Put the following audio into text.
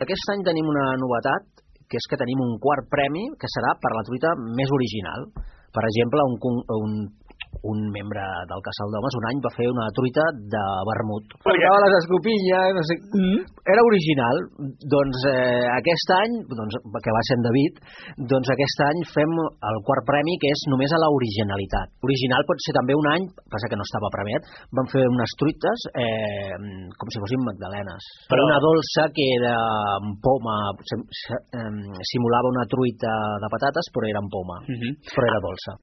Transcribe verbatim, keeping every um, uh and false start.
Aquest any tenim una novetat, que és que tenim un quart premi que serà per la truita més original. Per exemple, un, un, un membre del Casal d'Homes un any va fer una truita de vermut. Portava les escopinyes, no sé... Mm. Era original. Doncs eh, aquest any, doncs, que va ser en David, doncs aquest any fem el quart premi, que és només a la originalitat. Original pot ser també un any, passa que no estava premiat, vam fer unes truites eh, com si fossin magdalenes. Però una dolça que era amb poma, simulava una truita de patates, però era amb poma, uh-huh. Però era dolça.